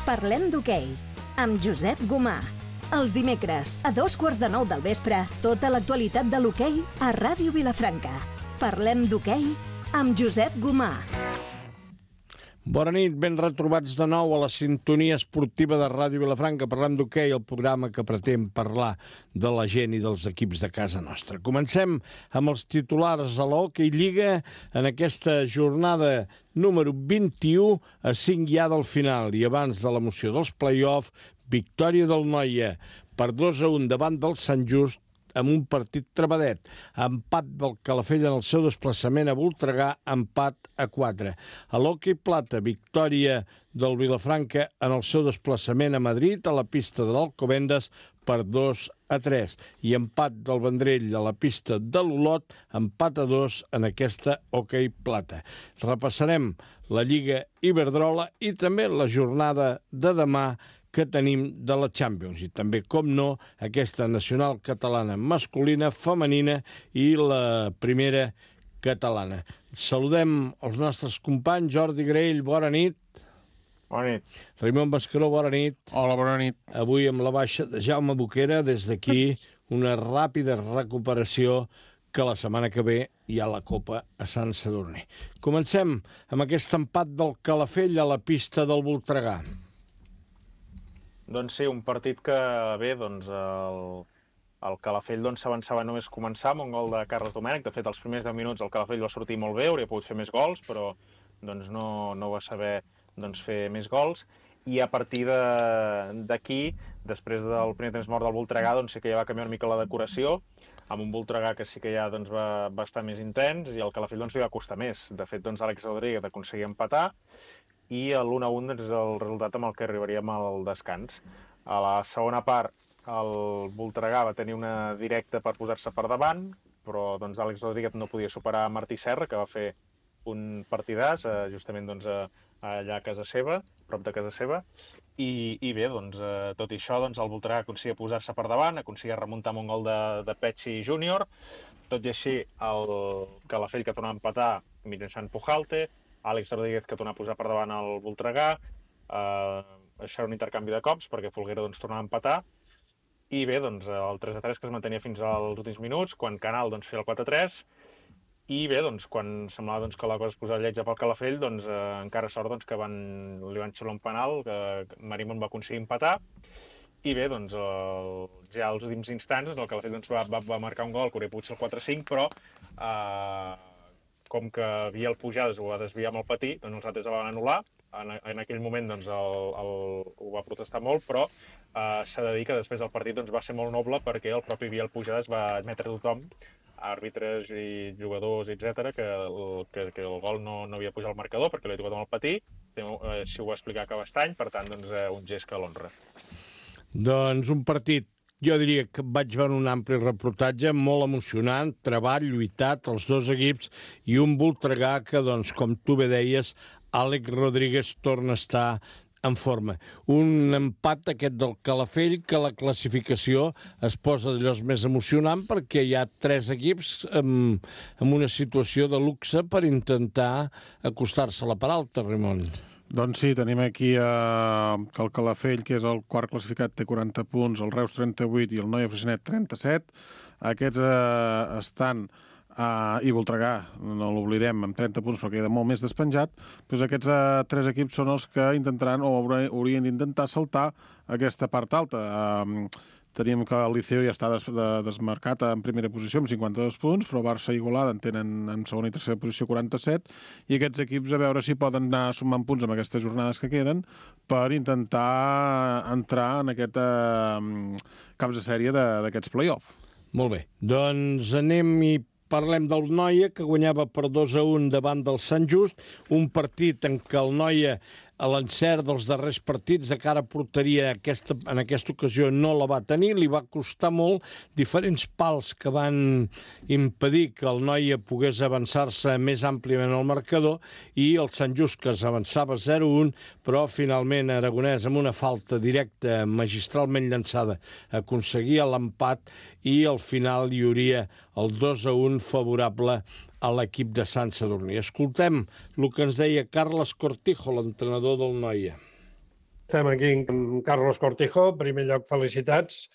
Parlem d'hoquei, amb Josep Gomà. Els dimecres, a 8:45 del vespre, tota l'actualitat de l'hoquei a Ràdio Vilafranca. Parlem d'hoquei amb Josep Gomà. Bona nit, ben retrobats de nou a la sintonia esportiva de Ràdio Vilafranca. Parlem d'hoquei, el programa que pretén parlar de la gent i dels equips de casa nostra. Comencem amb els titulars a l'Hockey Lliga en aquesta jornada número 21 a 5 ja del final. I abans de l'emoció dels play-off, victòria del Noia per 2-1 davant del Sant Just amb un partit trebadet. Empat del Calafell en el seu desplaçament a Voltregà, empat a 4. A l'Hockey Plata, victòria del Vilafranca en el seu desplaçament a Madrid, a la pista de l'Alcobendas, per 2-3. I empat del Vendrell a la pista de l'Olot, empat a 2 en aquesta Hockey Plata. Repassarem la Lliga Iberdrola i també la jornada de demà que tenim de la Champions i també, com no, aquesta nacional catalana masculina, femenina i la primera catalana. Saludem els nostres companys. Jordi Graell, bona nit. Bona nit. Raimon Mascaró, bona nit. Hola, bona nit. Avui amb la baixa de Jaume Boquera, des d'aquí una ràpida recuperació, que la setmana que ve hi ha la Copa a Sant Sadurní. Comencem amb aquest empat del Calafell a la pista del Voltregà. Doncs sí, un partit que bé, doncs el Calafell s'avançava només començar amb un gol de Carles Domènech. De fet, els primers 10 minuts el Calafell va sortir molt bé, hauria pogut fer més gols, però doncs, no va saber fer més gols. I a partir d'aquí, després del primer temps mort del Voltregà, doncs sí que ja va canviar una mica la decoració, amb un Voltregà que sí que ja doncs, va estar més intens i el Calafell li va costar més. De fet, Àlex Rodríguez aconseguia empatar, i l'1-1 és el resultat amb el que arribaríem al descans. A la segona part, el Voltregà va tenir una directa per posar-se per davant, però Àlex Rodríguez no podia superar Martí Serra, que va fer un partidàs, justament allà a casa seva, prop de casa seva, i bé, tot i això, el Voltregà aconseguia posar-se per davant, aconseguia remuntar amb un gol de Petxi júnior, tot i així el Calafell que tornava a empatar mitjançant Pujalte, Àlex Rodríguez que tornava a posar per davant el Voltregà, això era un intercanvi de cops perquè Folguera tornava a empatar, i bé, el 3-3 que es mantenia fins als últims minuts, quan Canal feia el 4-3, i bé, quan semblava que la cosa es posava lletja pel Calafell, encara sort que li van xiular un penal, que Marimon va aconseguir empatar, i bé, ja als últims instants el Calafell va marcar un gol que hauria pogut ser el 4-5, però com que Biel Pujades ho va desviar amb el patí, els altres el van anul·lar. En aquell moment ho va protestar molt, però s'ha de dir que després del partit va ser molt noble perquè el propi Biel Pujades va admetre a tothom, àrbitres i jugadors, etc., que el gol no havia pujat al marcador perquè l'havia tocat amb el patí. Així ho va explicar Cabestany, per tant, un gest que l'honra. Doncs un partit, jo diria que vaig veure un ampli reportatge molt emocionant, treball, lluitat, els dos equips, i un Voltregà que, com tu bé deies, Àlex Rodríguez torna a estar en forma. Un empat aquest del Calafell que la classificació es posa d'allò més emocionant perquè hi ha 3 equips en una situació de luxe per intentar acostar-se a la part alta, Ramon. Doncs sí, tenim aquí que el Calafell, que és el quart classificat, té 40 punts, el Reus 38 i el Noia Freixenet 37. Aquests estan, i Voltregà, no l'oblidem, amb 30 punts, però queda molt més despenjat. Doncs aquests 3 equips són els que intentaran o haurien d'intentar saltar aquesta part alta. Tenim que el Liceo ja està desmarcat en primera posició amb 52 punts, però Barça i Igualada en tenen en segona i tercera posició 47, i aquests equips a veure si poden anar sumant punts amb aquestes jornades que queden per intentar entrar en aquest caps de sèrie d'aquests play-off. Molt bé, doncs anem i parlem del Noia, que guanyava per 2-1 davant del Sant Just, un partit en què el Noia, a l'encert dels darrers partits de cara a porteria, en aquesta ocasió no la va tenir, li va costar molt, diferents pals que van impedir que el Noia pogués avançar-se més àmpliament al marcador, i el Sant Just, que s'avançava 0-1, però finalment Aragonès, amb una falta directa magistralment llançada, aconseguia l'empat, i al final hi hauria el 2-1 favorable a l'equip de Sant Sadurní. Escoltem el que ens deia Carles Cortijo, l'entrenador del Noia. Estem aquí amb Carlos Cortijo. En primer lloc, felicitats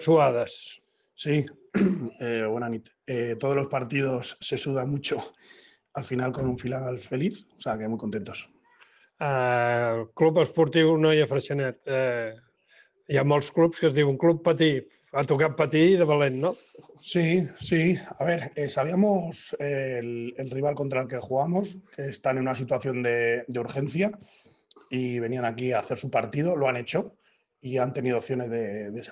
suades. Sí, buena nit. Todos los partidos se suda mucho, al final con un final feliz, o sea que muy contentos. Club Esportiu Noia Freixenet. Hi ha molts clubs que es diuen Club Patí. Ha tocat patir de valent, ¿no? Sí, sí. A ver, sabíamos el rival contra el que jugamos, que están en una situación de urgencia y venían aquí a hacer su partido, lo han hecho y han tenido opciones de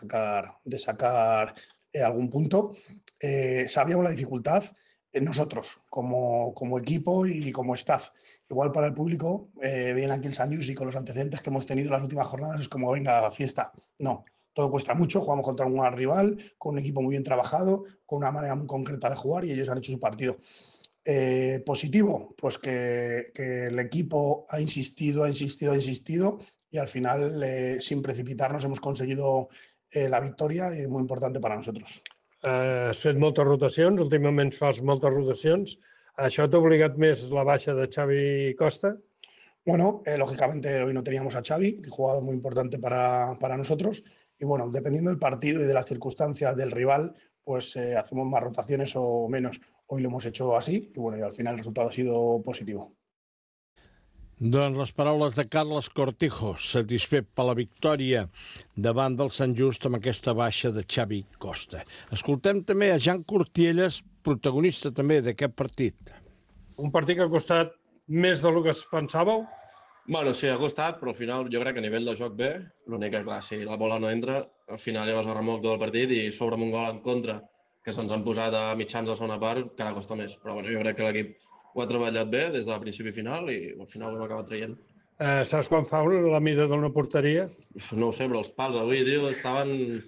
sacar algún punto. Sabíamos la dificultad nosotros, como equipo y como staff. Igual para el público, vienen aquí el San Lluís y con los antecedentes que hemos tenido en las últimas jornadas es como, venga, fiesta. No, todo cuesta mucho, jugamos contra un gran rival, con un equipo muy bien trabajado, con una manera muy concreta de jugar y ellos han hecho su partido. Positivo, pues que el equipo ha insistido y al final, sin precipitarnos, hemos conseguido la victoria y muy importante para nosotros. Has fet moltes rotacions, últimament fas moltes rotacions. Això t'ha obligat més la baixa de Xavi Costa? Bueno, lógicamente hoy no teníamos a Xavi, un jugador muy importante para nosotros. Y bueno, dependiendo del partido y de las circunstancias del rival, pues hacemos más rotaciones o menos. Hoy lo hemos hecho así y bueno, y al final el resultado ha sido positivo. Doncs les paraules de Carles Cortijo, satisfet per la victòria davant del Sant Just amb aquesta baixa de Xavi Costa. Escoltem també a Jan Cortielles, protagonista també d'aquest partit. Un partit que ha costat més del que es pensàveu? Bueno, sí, ha costat, però al final jo crec que a nivell de joc bé. L'únic que, clar, si la bola no entra, al final ja vas a remolc tot el partit i sobre un gol en contra, que se'ns han posat a mitjans de la segona part, encara costa més. Però bueno, jo crec que l'equip ho ha treballat bé des de principi a final i al final ho hem acabat traient. Saps quan fa la mida d'una porteria? No ho sé, però els pals avui, tio, estaven...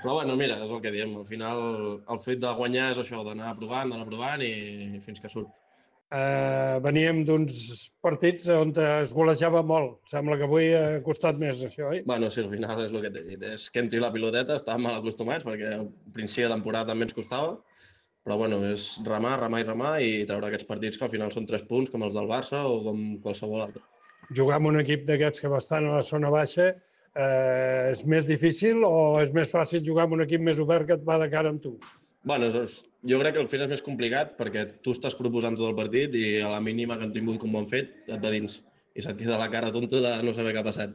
Però bueno, mira, és el que diem. Al final el fet de guanyar és això, d'anar provant i fins que surt. Veníem d'uns partits on es golejava molt. Sembla que avui ha costat més, això, oi? Bueno, sí, al final és el que t'he dit. És que entri la piloteta, estàvem mal acostumats perquè al principi de temporada també ens costava. Però bueno, és remar i treure aquests partits que al final són 3 punts, com els del Barça o com qualsevol altre. Jugar amb un equip d'aquests que va estar a la zona baixa és més difícil o és més fàcil jugar amb un equip més obert que et va de cara amb tu? Bueno, jo crec que al final és més complicat perquè tu estàs proposant tot el partit i a la mínima que han tingut com ho han fet, et va dins. I se't queda la cara tonta de no saber què ha passat.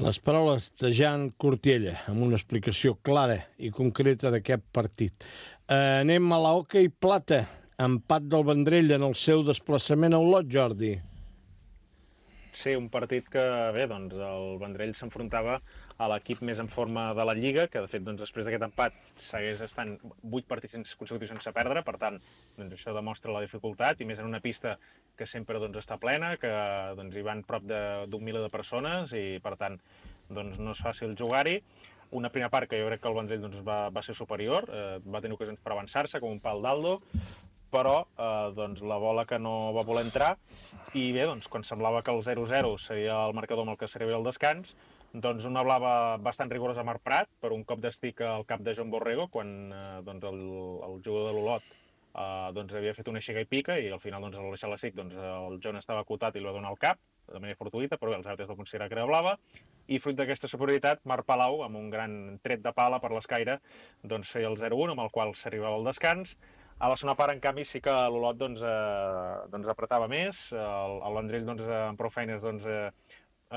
Les paraules de Jan Cortiella, amb una explicació clara i concreta d'aquest partit. Anem a l'hoquei plata. Empat del Vendrell en el seu desplaçament a Olot, Jordi. Sí, un partit que, bé, doncs el Vendrell s'enfrontava a l'equip més en forma de la Lliga, que de fet doncs, després d'aquest empat segueix estant 8 partits consecutius sense perdre, per tant, doncs, això demostra la dificultat, i més en una pista que sempre doncs, està plena, que doncs, hi van prop d'un miler de persones i, per tant, doncs, no és fàcil jugar-hi. Una primera part que jo crec que el Vendrell doncs, va ser superior, va tenir ocasions per avançar-se, com un pal d'Aldo, però doncs, la bola que no va voler entrar, i bé, doncs, quan semblava que el 0-0 seria el marcador amb el que s'arribaria al descans, doncs una blava bastant rigorosa a Marc Prat per un cop d'estic al cap de John Borrego quan doncs, el jugador de l'Olot doncs, havia fet una xiga i pica i al final doncs, al deixar l'estic doncs, el John estava acotat i li va donar al cap de manera fortuïta, però bé, els àrbitres van considerar que era blava, i fruit d'aquesta superioritat, Marc Palau, amb un gran tret de pala per l'escaire, doncs feia el 0-1, amb el qual s'arribava al descans. A la segona part, en canvi, sí que l'Olot doncs, apretava més, el Vendrell doncs, amb prou feines doncs,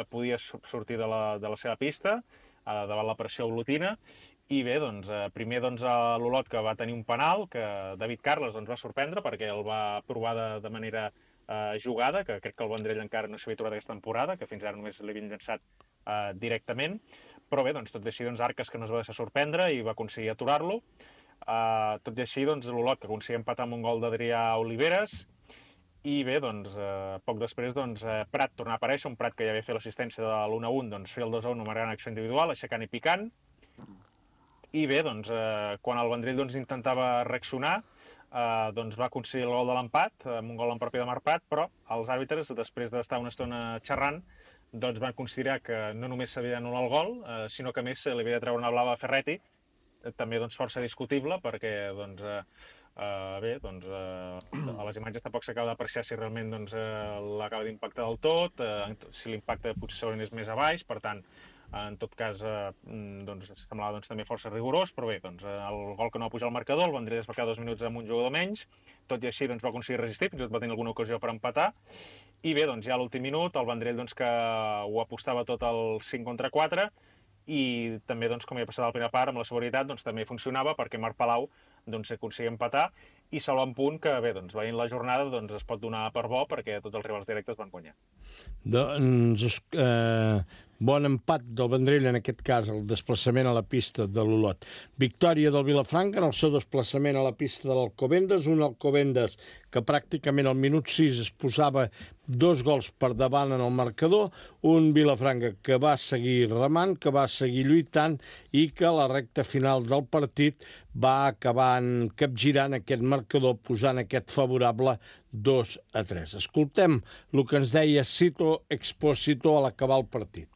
podia sortir de la seva pista davant la pressió olotina, i bé, doncs, primer doncs, l'Olot que va tenir un penal, que David Carles doncs, va sorprendre perquè el va provar de manera jugada, que crec que el Vendrell encara no s'havia trobat aquesta temporada, que fins ara només l'havien llançat directament, però bé, doncs, tot i així doncs, Arques que no es va deixar sorprendre i va aconseguir aturar-lo. Tot i així, doncs, l'Olot que aconseguia empatar amb un gol d'Adrià Oliveres, i bé, doncs, poc després doncs, Prat tornava a aparèixer, un Prat que ja havia fet l'assistència de l'1-1, doncs feia el 2-1 amb una gran acció individual, aixecant i picant, i bé, doncs, quan el Vendrell doncs, intentava reaccionar, doncs va aconseguir el gol de l'empat, amb un gol en propi de Marc Prat, però els àrbitres, després d'estar una estona xerrant, doncs van considerar que no només s'havia d'anul·lar el gol, sinó que a més li havia de treure una blava a Ferretti, també doncs, força discutible, perquè doncs, Bé, doncs a les imatges tampoc s'acaba d'apreciar si realment doncs, l'acaba d'impactar del tot, si l'impacte potser segurament és més a baix, per tant, en tot cas, doncs, semblava doncs, també força rigorós, però bé, doncs, el gol que no va pujar al marcador, el Vendrell es va quedar 2 minuts amb un jugador menys, tot i així doncs, va aconseguir resistir, fins i tot va tenir alguna ocasió per empatar, i bé, doncs, ja a l'últim minut, el Vendrell doncs, que ho apostava tot al 5 contra 4, i també, doncs, com ja passava a la primera part, amb la seguretat, doncs, també funcionava perquè Marc Palau doncs, aconseguia empatar i salvar un punt que, bé, doncs, veient la jornada, doncs, es pot donar per bo perquè tots els rivals directes van guanyar. Doncs, bon empat del Vendrell, en aquest cas, el desplaçament a la pista de l'Olot. Victòria del Vilafranca en el seu desplaçament a la pista de l'Alcobendas, un Alcobendas que pràcticament al minut 6 es posava 2 gols per davant en el marcador, un Vilafranca que va seguir remant, que va seguir lluitant i que a la recta final del partit va acabar capgirant aquest marcador, posant aquest favorable 2-3. Escoltem el que ens deia Sito Expósito a l'acabar el partit.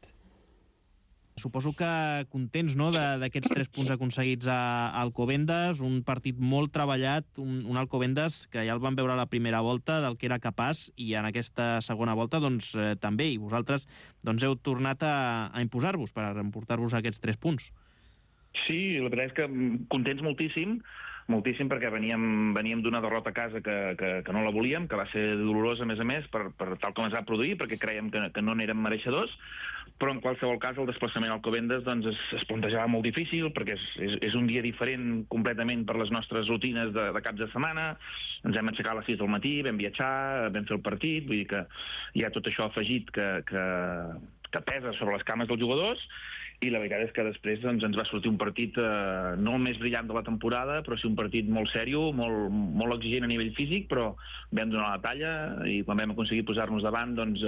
Suposo que contents, no?, d'aquests 3 punts aconseguits a Alcobendas, un partit molt treballat, un Alcobendas que ja el vam veure a la primera volta del que era capaç i en aquesta segona volta doncs, també, i vosaltres doncs, heu tornat a imposar-vos per emportar-vos aquests 3 punts. Sí, la veritat és que contents moltíssim perquè veníem d'una derrota a casa que no la volíem, que va ser dolorosa a més, per tal com es va produir, perquè creiem que no n'érem mereixedors, però en qualsevol cas el desplaçament al Alcobendas doncs, es plantejava molt difícil perquè és un dia diferent completament per les nostres rutines de caps de setmana. Ens hem aixecat a les 6 del matí, vam viatjar, vam fer el partit, vull dir que hi ha tot això afegit que pesa sobre les cames dels jugadors, i la veritat és que després doncs, ens va sortir un partit no el més brillant de la temporada, però sí un partit molt sèrio, molt exigent a nivell físic, però vam donar la talla i quan vam aconseguir posar-nos davant doncs,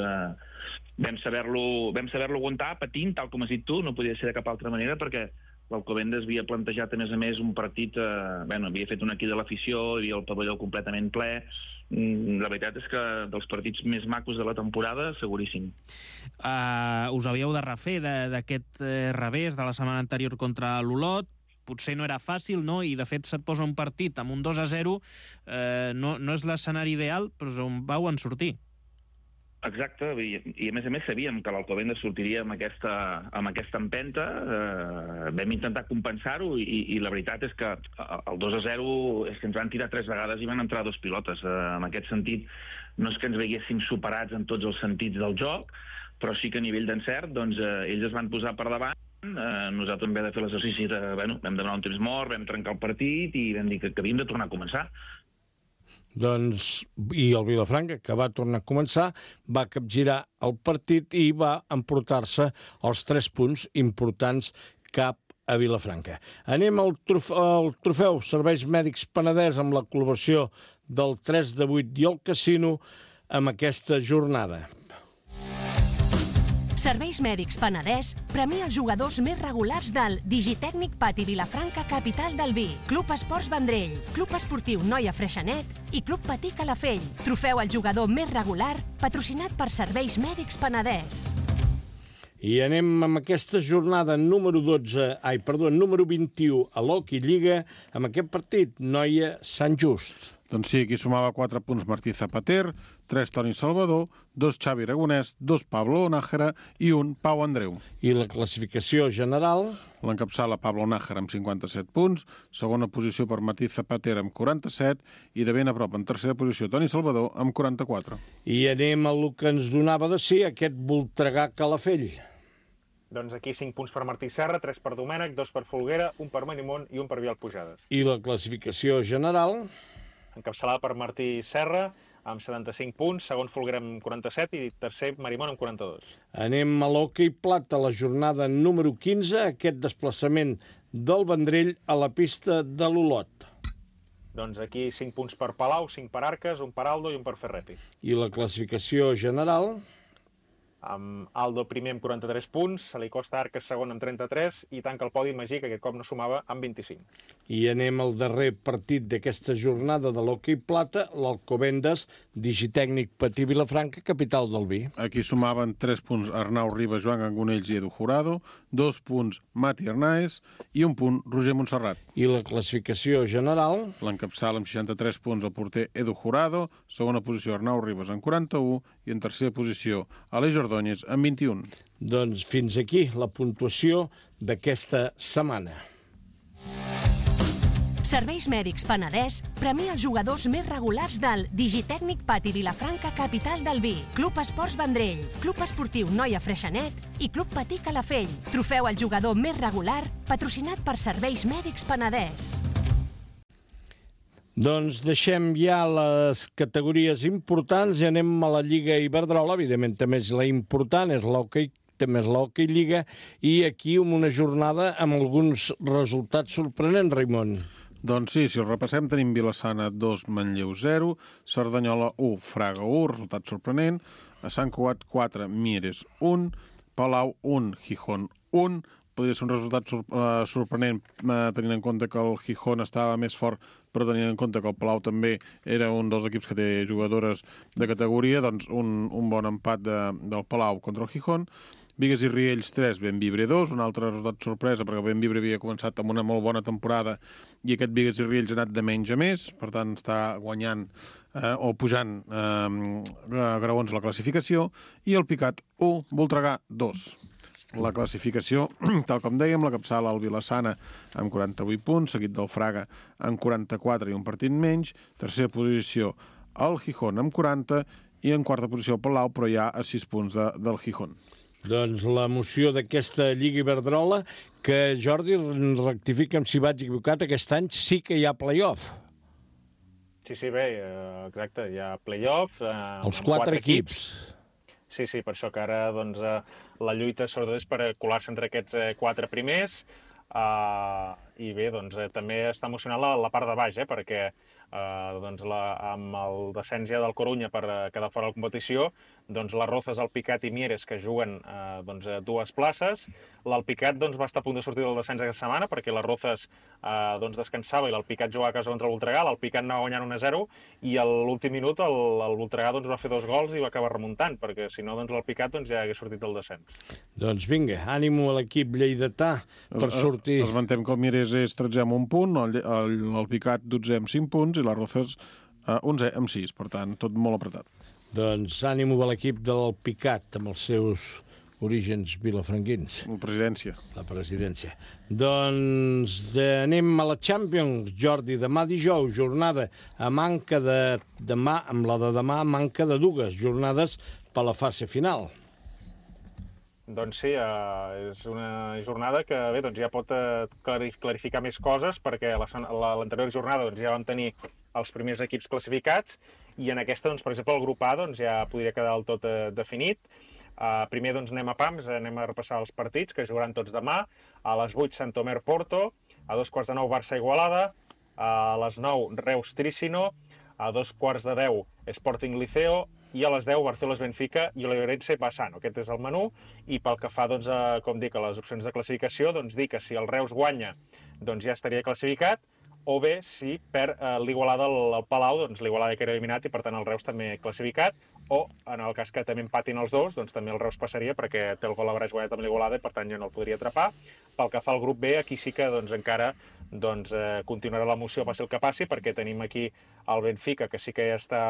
vam saber-lo aguantar patint, tal com has dit tu, no podia ser de cap altra manera, perquè l'Alcobendas havia plantejat a més un partit, havia fet un equip de l'afició, hi havia el pavelló completament ple. La veritat és que dels partits més macos de la temporada, seguríssim. Us havíeu de refer d'aquest revés de la setmana anterior contra l'Olot. Potser no era fàcil, no? I de fet se't posa un partit amb un 2-0, no és l'escenari ideal, però on vau en sortir. Exacte, i a més sabíem que l'Alcobendas sortiria amb aquesta empenta, vam intentar compensar-ho i la veritat és que el 2-0 és que ens van tirar 3 vegades i van entrar 2 pilotes. En aquest sentit, no és que ens veiéssim superats en tots els sentits del joc, però sí que a nivell d'encert doncs, ells es van posar per davant. Nosaltres vam haver de fer l'exercici vam demanar un temps mort, vam trencar el partit i vam dir que havíem de tornar a començar. Doncs, i el Vilafranca, que va tornar a començar, va capgirar el partit i va emportar-se els 3 punts importants cap a Vilafranca. Anem al trofeu Serveis Mèdics Penedès amb la col·laboració del 3-8 i el Casino amb aquesta jornada. Serveis Mèdics Penedès premia els jugadors més regulars del Digitècnic Pati Vilafranca, capital del vi, Club Esports Vendrell, Club Esportiu Noia Freixenet i Club Patí Calafell. Trofeu al jugador més regular, patrocinat per Serveis Mèdics Penedès. I anem amb aquesta jornada número 21 a l'Hockey Lliga amb aquest partit, Noia Sant Just. Doncs sí, aquí sumava 4 punts Martí Zapater, 3 Toni Salvador, 2 Xavi Aragonès, 2 Pablo Nájera i 1 Pau Andreu. I la classificació general? L'encapçala Pablo Nájera amb 57 punts, segona posició per Martí Zapater amb 47 i de ben a prop en tercera posició Toni Salvador amb 44. I anem a el que ens donava de sí aquest Voltregà Calafell. Doncs aquí 5 punts per Martí Serra, 3 per Domènec, 2 per Folguera, 1 per Manimont i 1 per Vial Pujades. I la classificació general? Encapçalada per Martí Serra, amb 75 punts, segon Folguera amb 47 i tercer Marimón amb 42. Anem a l'hoquei plata, la jornada número 15, aquest desplaçament del Vendrell a la pista de l'Olot. Doncs aquí 5 punts per Palau, 5 per Arques, 1 per Aldo i 1 per Ferrepi. I la classificació general? Amb Aldo primer amb 43 punts, se li costa Arques segon amb 33 i tanca el podi Magí, que aquest cop no sumava, amb 25. I anem al darrer partit d'aquesta jornada de l'hoquei plata, l'Alcobendas Digitècnic Patí Vilafranca, capital del vi. Aquí sumaven 3 punts Arnau Ribas, Joan Gangonells i Edu Jurado, 2 punts Mati Arnaez i 1 punt Roger Montserrat. I la classificació general? L'encapçala amb 63 punts el porter Edu Jurado, segona posició Arnau Ribas amb 41 i en tercera posició Aleix Ordóñez amb 21. Doncs fins aquí la puntuació d'aquesta setmana. Serveis Mèdics Penedès premia els jugadors més regulars del Digitècnic Pati Vilafranca, capital del vi, Club Esports Vendrell, Club Esportiu Noia Freixenet i Club Patí Calafell. Trofeu al jugador més regular, patrocinat per Serveis Mèdics Penedès. Doncs deixem ja les categories importants i anem a la Lliga Iberdrola. Evidentment, també és la important, és l'hoquei, també és l'hoquei Lliga, i aquí una jornada amb alguns resultats sorprenents, Raimon. Doncs sí, si el repassem, tenim Vilassana 2, Manlleu 0, Cerdanyola 1, Fraga 1, resultat sorprenent, a Sant Cugat 4, Mieres 1, Palau 1, Gijón 1, podria ser un resultat sorprenent tenint en compte que el Gijón estava més fort, però tenint en compte que el Palau també era un dels equips que té jugadores de categoria, doncs un bon empat del Palau contra el Gijón. Bigues i Riells 3, Bembibre 2, un altre resultat sorpresa, perquè Bembibre havia començat amb una molt bona temporada i aquest Bigues i Riells ha anat de menys a més, per tant està guanyant o pujant graons a la classificació, i el Picat 1, Voltregà 2. La classificació, tal com dèiem, la capçala el Vilassana amb 48 punts, seguit del Fraga amb 44 i un partit menys, tercera posició el Gijón amb 40 i en quarta posició el Palau, però ja a 6 punts del Gijón. Doncs l'emoció d'aquesta Lliga Iberdrola, que Jordi, rectifica'm si vaig equivocat, aquest any sí que hi ha play-off. Sí, bé, exacte, hi ha play-off. Els 4 equips. Sí, per això que ara doncs, la lluita sobretot és per colar-se entre aquests 4 primers i bé, doncs, també està emocionant la part de baix, perquè doncs, amb el descens ja del Corunya per quedar fora de la competició, doncs les Rozas, el Picat i Mieres, que juguen doncs, 2 places. L'Alpicat doncs, va estar a punt de sortir del descens aquesta setmana perquè les Rozas doncs, descansava i l'Alpicat jugava a casa contra el Voltregà. L'Alpicat anava guanyant 1-0 i a l'últim minut el Voltregà doncs, va fer 2 gols i va acabar remuntant, perquè si no doncs, l'Alpicat doncs, ja hagués sortit del descens. Doncs vinga, ànimo a l'equip lleidatà per sortir. Esmentem que el Mieres és 13 amb 1 punt, l'Alpicat 12 amb 5 punts i les Rozas 11 amb 6, per tant, tot molt apretat. Doncs ànimo a l'equip del Picat, amb els seus orígens vilafranquins. La presidència. Doncs anem a la Champions, Jordi. Demà dijous, jornada a manca de demà, amb la de demà manca de 2 jornades per la fase final. Doncs sí, és una jornada que bé, doncs ja pot clarificar més coses, perquè l'anterior jornada doncs, ja vam tenir els primers equips classificats i en aquesta, doncs, per exemple, el grup A doncs, ja podria quedar del tot definit. Primer doncs, anem a pams, anem a repassar els partits que jugaran tots demà. A les 8, Sant Omer Porto, a 2:15 Barça Igualada, a les 9 Reus Trícino, a 2:10 Sporting Liceo, i a les 10 Barcelos Benfica i Oliveirense Bassano. Aquest és el menú, i pel que fa, doncs, com dic, a les opcions de classificació, doncs dir que si el Reus guanya, doncs ja estaria classificat, o bé si perd l'Igualada al Palau, doncs l'Igualada que era eliminat i per tant el Reus també classificat, o en el cas que també empatin els dos, doncs també el Reus passaria perquè té el gol a Braç guanyat amb l'Igualada i per tant ja no el podria atrapar. Pel que fa al grup B, aquí sí que doncs, encara continuarà l'emoció passi el que passi, perquè tenim aquí el Benfica, que sí que ja està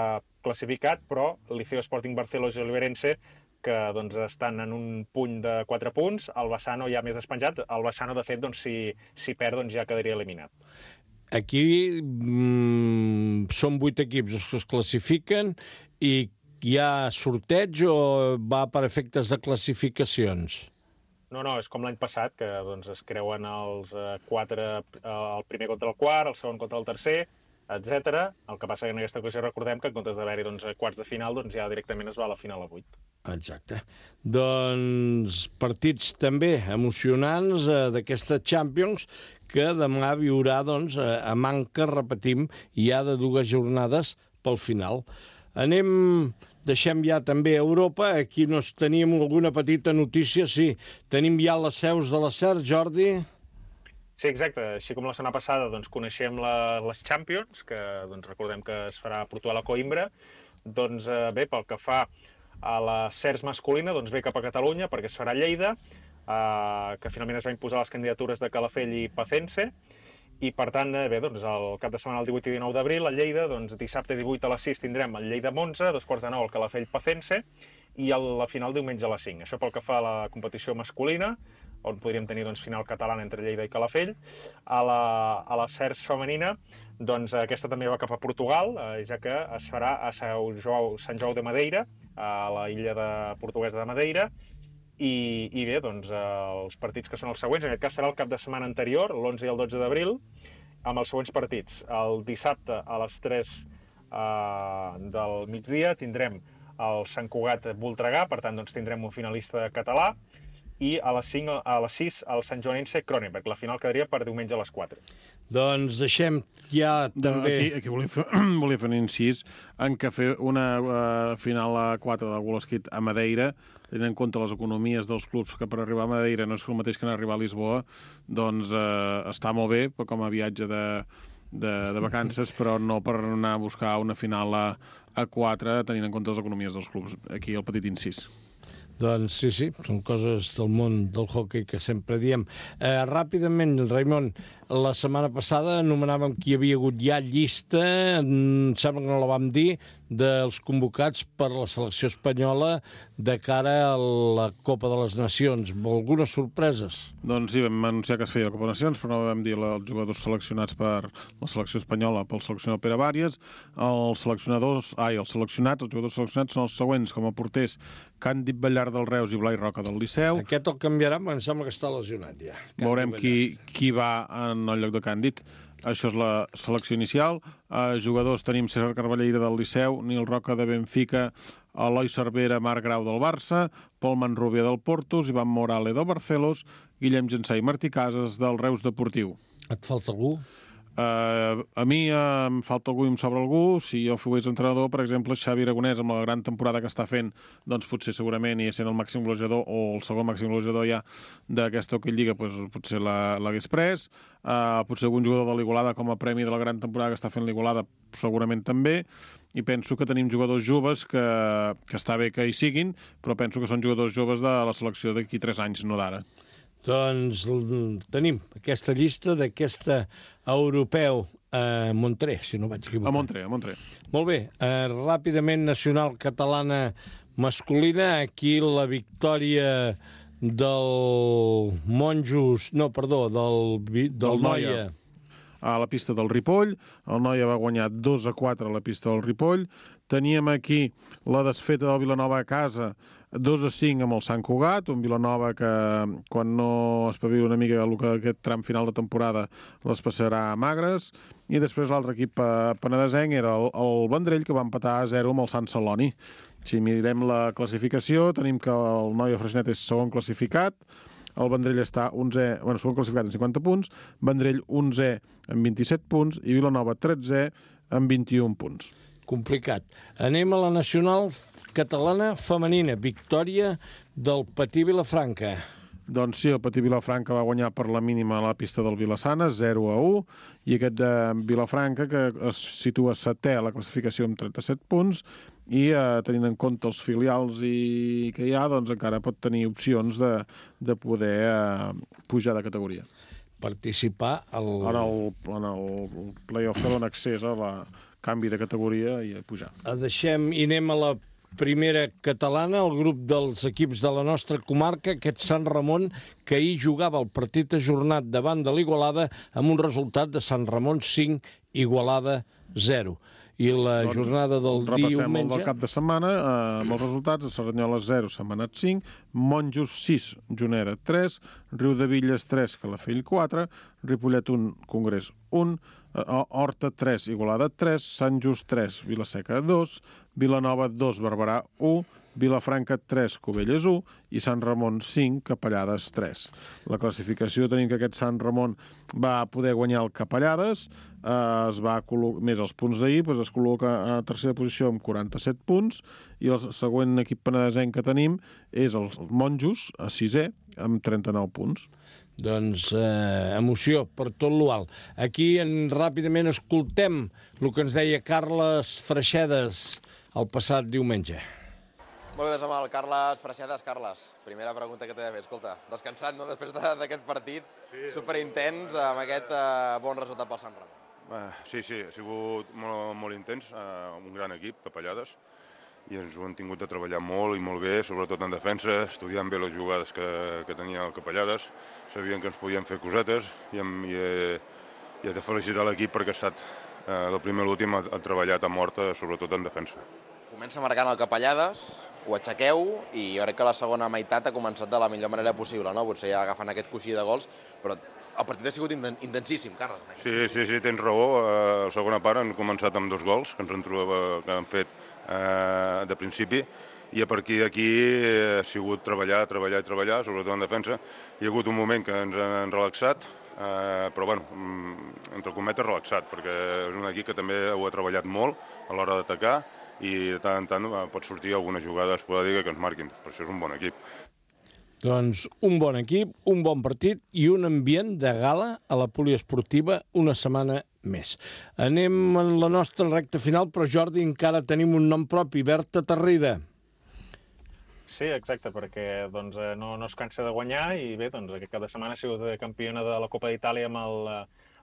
classificat, però Liceo, Sporting Barcelos i Oliveirense que doncs, estan en un puny de 4 punts, el Bassano ja més despenjat. El Bassano, de fet, doncs, si perd, doncs, ja quedaria eliminat. Aquí són 8 equips els que es classifiquen i hi ha sorteig o va per efectes de classificacions? No, és com l'any passat, que doncs, es creuen els 4, el primer contra el quart, el segon contra el tercer, etc. El que passa que en aquesta ocasió recordem que en comptes d'haver-hi doncs, quarts de final, doncs, ja directament es va a la final a 8. Exacte. Doncs partits també emocionants d'aquesta Champions que demà viurà doncs, a manca, repetim, ja de 2 jornades pel final. Deixem ja també a Europa. Aquí teníem alguna petita notícia. Sí, tenim ja les seus de la SER, Jordi. Sí, exacte. Així com la setmana passada doncs, coneixem les Champions, que doncs, recordem que es farà a Portugal a Coimbra, Doncs bé, pel que fa a la CERS masculina, doncs ve cap a Catalunya perquè es farà a Lleida, que finalment es va imposar les candidatures de Calafell i Pacense, i per tant, bé, doncs el cap de setmana el 18 i 19 d'abril a Lleida, doncs dissabte 18 a les 6 tindrem el Lleida Monza, 2:45 al Calafell Pacense, i la final diumenge a les 5. Això pel que fa a la competició masculina, on podríem tenir doncs, final catalana entre Lleida i Calafell. A la CERS femenina, doncs aquesta també va cap a Portugal, ja que es farà a Sant João de Madeira, a la illa portuguesa de Madeira, i bé, doncs els partits que són els següents, en aquest cas serà el cap de setmana anterior, l'11 i el 12 d'abril, amb els següents partits. El dissabte a les 3 del migdia tindrem el Sant Cugat Voltregà, per tant doncs, tindrem un finalista català, i a les 6 el Sant Joanense Cronenberg. La final quedaria per diumenge a les 4. Doncs deixem ja també... Aquí volia fer un incís en què fer una final a 4 del World Skate a Madeira, tenint en compte les economies dels clubs, que per arribar a Madeira no és el mateix que arribar a Lisboa, doncs està molt bé com a viatge de vacances, però no per anar a buscar una final a 4 tenint en compte les economies dels clubs. Aquí el petit incís. Doncs sí, són coses del món del hoquei que sempre diem. Ràpidament, Raimon, la setmana passada anomenàvem que hi havia hagut ja llista, em sembla que no la vam dir, dels convocats per la selecció espanyola de cara a la Copa de les Nacions. Algunes sorpreses? Doncs sí, vam anunciar que es feia la Copa de Nacions, però no vam dir els jugadors seleccionats per la selecció espanyola pel seleccionador Pere Bàries. Els jugadors seleccionats són els següents, com a porters: Càndid Ballar del Reus i Blai Roca del Liceu. Aquest el canviarà, em sembla que està lesionat ja. Veurem qui va en el lloc de Càndid. Això és la selecció inicial. Jugadors tenim César Carballeira del Liceu, Nil Roca de Benfica, Eloi Cervera, Marc Grau del Barça, Pol Manrubia del Portus, Ivan Morale del Barcelos, Guillem Gensà i Martí Casas del Reus Deportiu. Et falta algú? A mi em falta algú i em sobra algú. Si jo fos entrenador, per exemple, Xavi Aragonès, amb la gran temporada que està fent, doncs potser segurament, i sent el màxim golejador o el segon màxim golejador ja d'aquesta Hockey Lliga, doncs potser l'hagués pres. Potser algun jugador de l'Igualada com a premi de la gran temporada que està fent l'Igualada segurament també. I penso que tenim jugadors joves que està bé que hi siguin, però penso que són jugadors joves de la selecció d'aquí 3 anys, no d'ara. Doncs tenim aquesta llista d'aquesta europeu a Montré, si no vaig equivocar. A Montré. Molt bé. Ràpidament, nacional catalana masculina. Aquí la victòria del Monjos... No, perdó, del Noia. A la pista del Ripoll. El Noia va guanyar 2-4 a la pista del Ripoll. Teníem aquí la desfeta del Vilanova a casa, 2-5 amb el Sant Cugat, un Vilanova que quan no espavila una mica aquest tram final de temporada les passarà magres. I després l'altre equip penedesenc era el Vendrell, que va empatar a 0 amb el Sant Celoni. Si mirem la classificació, tenim que el Noia Freixenet és segon classificat, el Vendrell està 11è, segon classificat amb 50 punts, Vendrell 11è amb 27 punts i Vilanova 13è amb 21 punts. Complicat. Anem a la nacional catalana femenina. Victòria del Patí Vilafranca. Doncs sí, el Patí Vilafranca va guanyar per la mínima a la pista del Vilassana, 0-1, i aquest de Vilafranca, que es situa 7è a la classificació amb 37 punts, i tenint en compte els filials que hi ha, doncs encara pot tenir opcions de poder pujar de categoria. Participar en el play-off que dona accés a la canvi de categoria i a pujar. I anem a la primera catalana, el grup dels equips de la nostra comarca, aquest Sant Ramon, que ahir jugava el partit ajornat davant de l'Igualada amb un resultat de Sant Ramon 5, Igualada 0. I la jornada del diumenge... Repassem el del cap de setmana amb els resultats: Cerdanyola 0, Setmanat 5, Monjos 6, Juneda 3, Riudevilles 3, Calafell 4, Ripollet 1, Congrés 1, Horta 3, Igualada 3, Sant Just 3, Vilaseca 2, Vilanova 2, Barberà 1, Vilafranca 3, Cubelles 1 i Sant Ramon 5, Capellades 3. La classificació tenim que aquest Sant Ramon va poder guanyar el Capellades, més els punts d'ahir, es col·loca a tercera posició amb 47 punts, i el següent equip penedesenc que tenim és els Monjos, a 6è, amb 39 punts. Doncs emoció per tot l'alt. Aquí ràpidament escoltem el que ens deia Carles Freixedes el passat diumenge. Molt bé, des amb el Carles Freixetes. Carles, primera pregunta que t'he de fer. Escolta, descansant, no?, després d'aquest partit, superintens, amb aquest bon resultat pel Sant Ramon. Sí, ha sigut molt intens, un gran equip, Capellades, i ens ho han tingut de treballar molt i molt bé, sobretot en defensa, estudiant bé les jugades que tenia el Capellades, sabien que ens podien fer cosetes i he de felicitar l'equip perquè ha estat, del primer a l'últim, ha treballat a mort, sobretot en defensa. Comença marcant el Capellades, ho aixequeu i jo crec que la segona meitat ha començat de la millor manera possible, no? Potser ja agafant aquest coixí de gols, però el partit ha sigut intensíssim, Carles. Sí, tens raó. A la segona part han començat amb 2 gols que han fet de principi i a partir d'aquí ha sigut treballar, sobretot en defensa. Hi ha hagut un moment que ens han relaxat, però bueno, entre cometes relaxat, perquè és un equip que també ho ha treballat molt a l'hora d'atacar i de tant en tant pot sortir alguna jugada esporàdica que ens marquin. Per això és un bon equip. Doncs un bon equip, un bon partit i un ambient de gala a la poliesportiva una setmana més. Anem en la nostra recta final, però Jordi, encara tenim un nom propi, Berta Tarrida. Sí, exacte, perquè doncs, no es cansa de guanyar i bé, doncs, aquest cap de setmana ha sigut campiona de la Copa d'Itàlia amb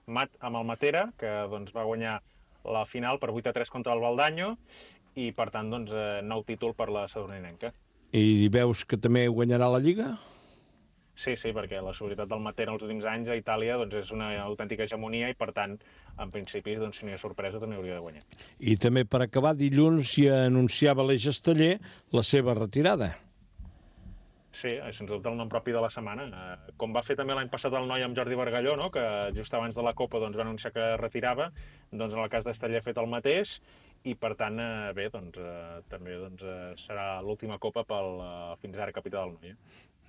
el Matera, que doncs, va guanyar la final per 8-3 contra el Valdaño i, per tant, doncs, nou títol per la sadurninenca. I veus que també guanyarà la Lliga? Sí, perquè la seguretat del Matera els últims anys a Itàlia doncs, és una autèntica hegemonia i, per tant, en principi, doncs, si no hi ha sorpresa, també hauria de guanyar. I també, per acabar, dilluns ja anunciava l'Eix Esteller la seva retirada. Sí, sens dubte el nom propi de la setmana. Com va fer també l'any passat el noi amb Jordi Bargalló, no?, que just abans de la Copa doncs, va anunciar que retirava, doncs en el cas d'Esteller ha fet el mateix i, per tant, bé, doncs, també doncs, serà l'última Copa pel fins ara capità del noi.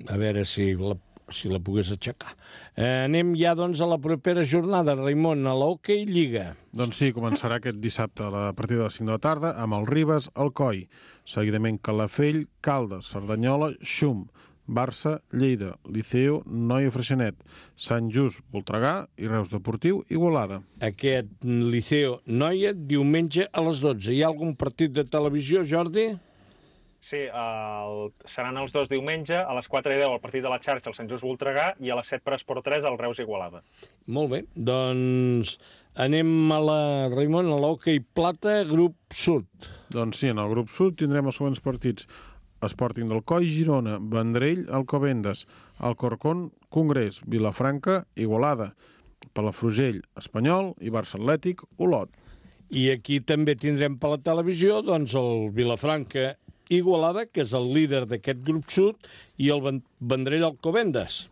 A veure si la pogués aixecar. Anem ja doncs, a la propera jornada, Raimon, a l'Hockey Lliga. Doncs sí, començarà aquest dissabte a la partida de les 5 de la tarda amb el Ribes, Alcoi, seguidament Calafell, Caldes, Cerdanyola, Xum, Barça, Lleida, Liceo, Noia Freixenet, Sant Just, Voltregà i Reus Deportiu, Igualada. Aquest Liceo Noia diumenge a les 12. Hi ha algun partit de televisió, Jordi? Sí, seran els 2 diumenge, a les 4:10 el partit de la xarxa, el Sant Just Voltregà, i a les 7 per Esport 3 el Reus Igualada. Molt bé, doncs anem a Raimon, a l'Hockey Plata, grup sud. Doncs sí, en el grup sud tindrem els següents partits. Sporting d'Alcoi, Girona, Vendrell, Alcobendas, Alcorcón, Congrés, Vilafranca, Igualada, Palafrugell, Espanyol i Barça Atlètic, Olot. I aquí també tindrem per la televisió doncs, el Vilafranca Igualada, que és el líder d'aquest grup sud, i el Vendrell Alcobendas.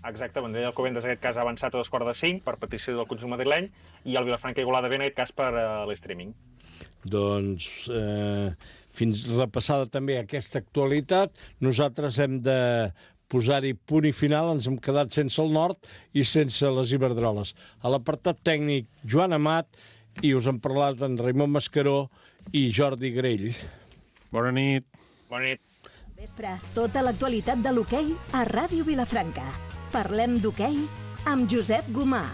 Exacte, Vendrell Alcobendas en aquest cas ha avançat a 4:45 per petició del conjunt madrileny i el Vilafranca Igualada ve en aquest cas per l'streaming. Doncs fins repassada també aquesta actualitat, nosaltres hem de posar-hi punt i final, ens hem quedat sense el nord i sense les Iberdroles. A l'apartat tècnic, Joan Amat, i us han parlat en Raimon Mascaró i Jordi Grell. Bona nit. Bona nit. Vespre, tota l'actualitat de l'hoquei a Ràdio Vilafranca. Parlem d'hoquei amb Josep Gomà.